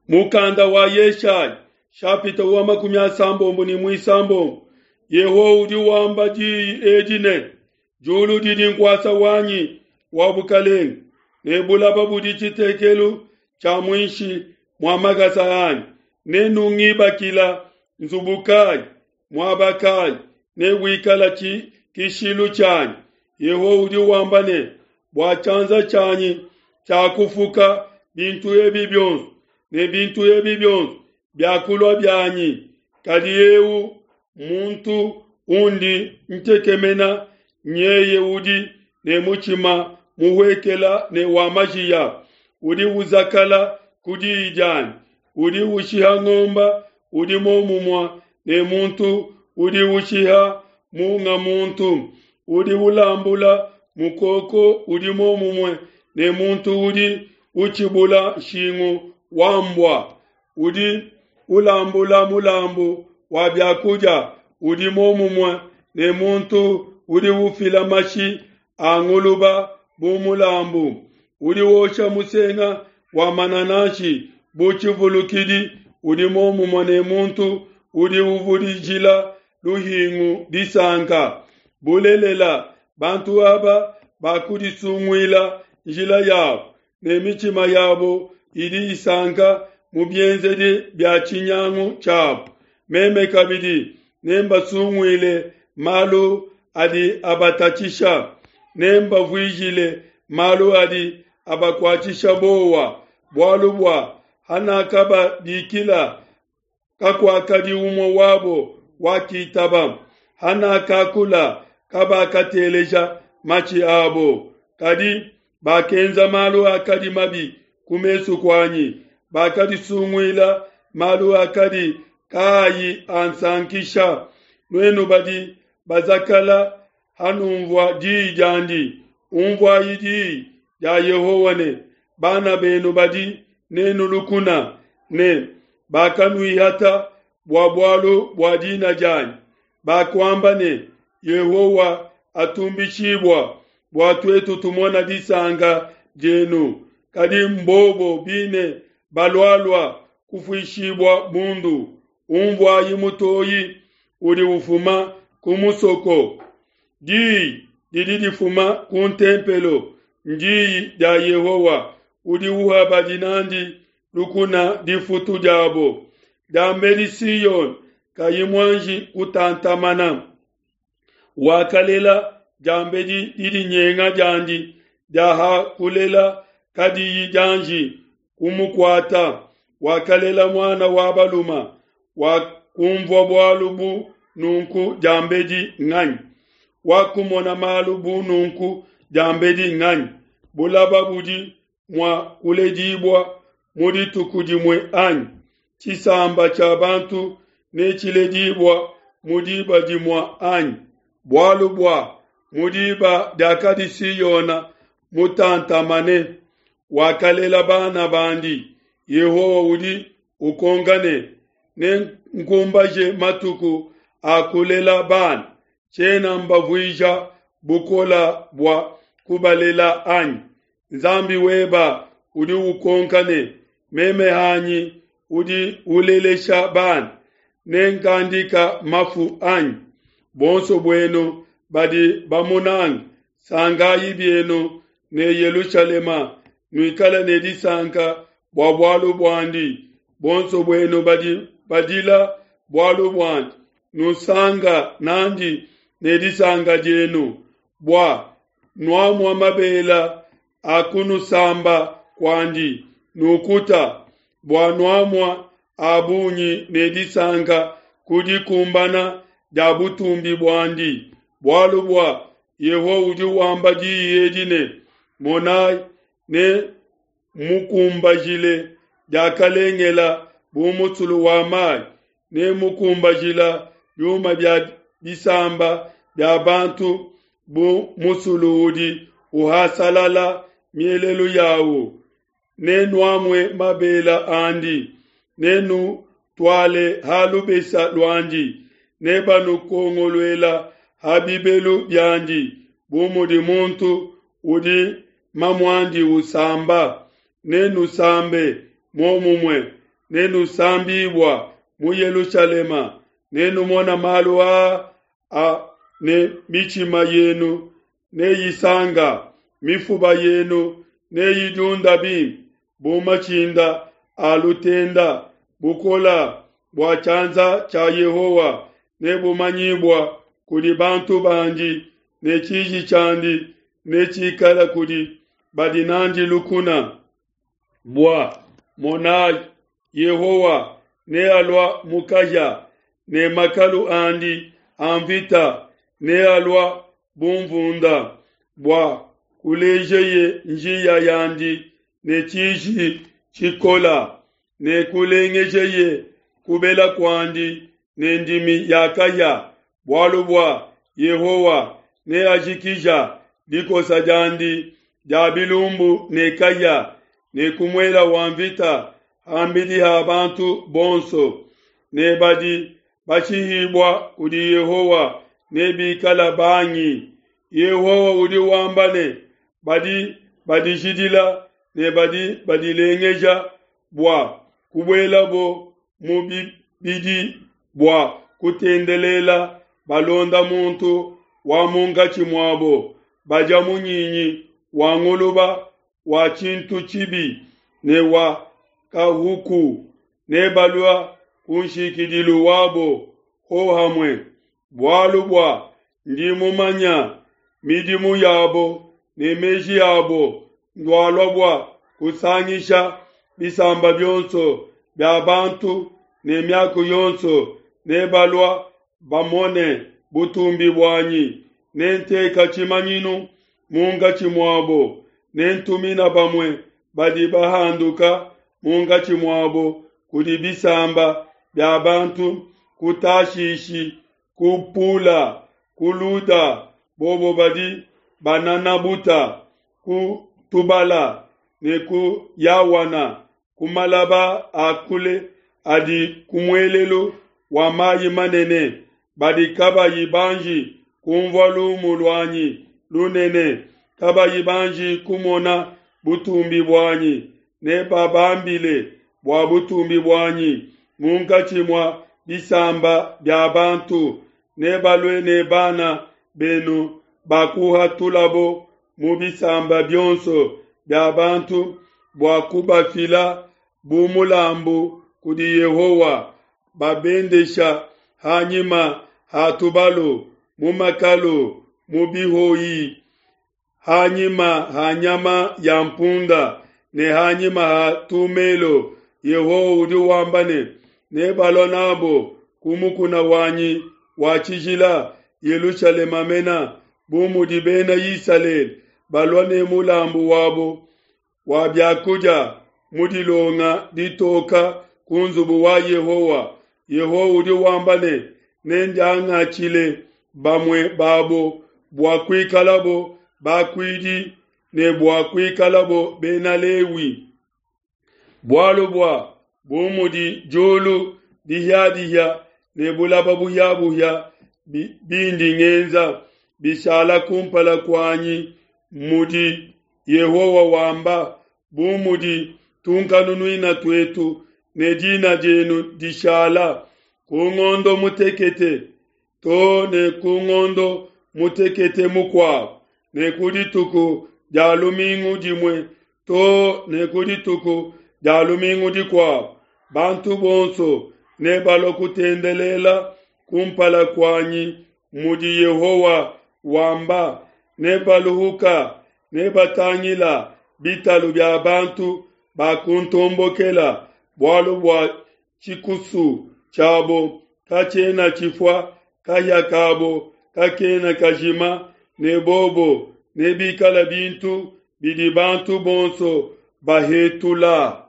Mukanda wa Yeshaya shapita wa 36. Yehowa udi wamba diyi edi ne, diulu didi nkuasa wanyi wa bukalenge, ne bulaba budi tshitekelu tshia muinshi mua makasa anyi. Nenungibakila nzubu kayi, muaba kayi newikala tshikishilu tshianyi? Yehowa udi wamba ne, bua tshianza tshianyi tshiakufuka bintu ebi bionso, ne bintu ebi bionso biakulua bianyi. Kadi eu muntu undi ntekemena nyeye udi ne mutshima muhuekela ne wa majiya, udi uzakala ku diyi dianyi, udi ushiha ngomba udi momumue ne muntu udi ushiha munga muntu, udi ulambula mukoko udi momumue ne muntu udi utshibula nshingu wa mbua, udi ulambula mulambu wa biakudia udi momumue ne muntu udi ufila mashi a nguluba bu mulambu, udi wosha musenga wa manananshi bu tshivulukidi udi momumue ne muntu udi uvudijila luhingu disanka. Bulelela, bantu aba bakudisunguila njila yabo, ne mitshima yabo idi isanka mu bienzedi bia tshinyangu tshiabo. Meme kabidi nembasunguile malu adi abatatshisha, nembavuijile malu adi abakuatshisha bowa, bualu bua hanakababikila kakuakadi umue wabo wakitaba, hanakakula kabakateleja matshi abo, kadi bakenza malu akadi mabi ku mesu kuanyi, bakadisunguila malu akadi kaayi ansankisha. Nuenu badi bazakala hanumvua diyi diandi, umvuayi diyi dia Yehowa ne, bana benu badi nenu lukuna ne bakanuihata bua bualu bua dina dianyi, bakuamba ne, Yehowa atumbishibua bua tuetu tumona disanka dienu. Kadi mbobo bine balualua kufuishibua bundu. Umvuayi mutoyi udi ufuma ku musoko, diyi didi difuma ku ntempelo, ndiyi dia Yehowa udi uha badi nandi lukuna difutu diabo. Diambedi Siyone kayi muanji kutantamana, wakalela diambedi didinyenga diandi dia ha kulela kadiyi dianji kumukuata, wakalela muana wa baluma. Wakumvua bualu bu nunku diambedi nganyi? Wakumona malu bu nunku diambedi nganyi? Bulaba budi mua kuledibua mu dituku dimue anyi? Tshisamba tshia bantu netshiledibua mu diba dimue anyi? Bualu bua mu diba diakadi Siyona mutantamane, wakalela bana bandi. Yehowa udi ukonka ne, nenkumbaje matuku a kulela bana, tshiena mbavuija bukola bua kubalela anyi? Nzambi weba udi ukonka ne, meme hanyi udi ulelesha bana, nenkandika mafu anyi? Bonso buenu badi bamunanga, sangayi bienu ne Yelushalema, nuikale ne disanka bua bualu buandi. Bonso buenu badi badila bualu buandi, nusanga nandi ne disanka dienu, bua nuamua mabela a kunusamba kuandi, nukuta, bua nuamua a bungi ne disanka ku dikumbana dia butumbi buandi. Bualu bua Yehowa udi wamba diyi edi ne, monai, ne mukumbajile diakalengela bu musulu wa mayi, ne mukumbajila biuma bia bisamba bia bantu bu musulu udi uhasalala mielelu yawu. Nenuamue mabela andi, nenutuale ha lubesa luandi, nebanukongoluela ha bibelu biandi, bu mudi muntu udi mamuandi usamba. Nenusambe muomumue. Nenusambibua mu Yelushalema, nenumona malu aa a ne mitshima yenu neyisanga, mifuba yenu neyidiunda bimpe bu matshinda a lutenda. Bukola bua tshianza tshia Yehowa nebumanyibua kudi bantu bandi, ne tshiji tshiandi netshikala kudi badi nandi lukuna. Bua monayi, Yehowa nealua mu kahia, ne makalu andi a mvita nealua bu mvunda, bua kulejeye njiya yandi ne tshiji tshikola, ne kulengejeye kubela kuandi ne ndimi ya kahia. Bualu bua Yehowa neajikija dikosa diandi dia bilumbu ne kahia, ne ku muela wa mvita ham'bidi ha bantu bonso, ne badi bashihibua kudi Yehowa nebikala bangi. Yehowa udi wamba ne, Badi badijidila ne badi badilengeja bua kubuelabo mu bibidi bua kutendelela, balonda muntu wa munkatshi muabo, badia munyinyi wa nguluba wa tshintu tshibi ne wa kahuku, nebalua kunshikidilu wabo hohamue. Bualu bua ndi mumanya midimu yabo ne meji abo, ndualua bua kusangisha bisamba bionso bia bantu ne miaku yonso, nebalua bamone butumbi buanyi. Nenteka tshimanyinu munkatshi muabo, nentumina bamue badi bahanduka munkatshi muabo kudi bisamba bia bantu, ku Tashishi, ku Pula, ku Luda, bobo badi banana buta, ku Tubala ne ku Yawana, ku malaba a kule adi ku muelelu wa mayi manene, badi kabayi banji kunvua lumu luanyi lunene, kabayi banji kumona butumbi buanyi, nebabambile bua butumbi buanyi munkatshi mua bisamba bia bantu. Nebalue ne bana benu bakuhatulabo mu bisamba bionso bia bantu bua kubafila bu mulambu kudi Yehowa, babendesha ha nyima ha tubalu, mu makalu, mu bihoyi, ha nyima ha nyama ya mpunda ne ha nyima ha tumelo. Yehowa udi wamba ne, Nebalua nabo ku mukuna wanyi wa tshijila, Yelushalema mena, bu mudi Bena Isalele balua ne mulambu wabo wa bia kudia mu dilonga ditoka ku nzubu wa Yehowa. Yehowa udi wamba ne, Nendiangatshile bamue babo bua kuikalabo bakuidi ne bua kuikalabo Bena Lewi. Bualu bua bu mudi diulu dihia-dihia ne bulaba buhia-buhia bindi ngenza bishala kumpala kuanyi, mudi Yehowa wamba, bu mudi tunkanunuina tuetu ne dina dienu dishala ku ngondo mutekete to ne ku ngondo mutekete mukuabo, ne ku dituku dia lumingu dimue to ne ku dituku dia lumingu dikuabo, bantu bonso nebalua kutendelela kumpala kuanyi, mudi Yehowa wamba. Nebaluhuka, nebatangila bitalu bia bantu bakuntombokela, bualu bua tshikusu tshiabo katshiena tshifua, kahia kabo kakena kajima, ne bobo nebikala bintu bidi bantu bonso bahetula.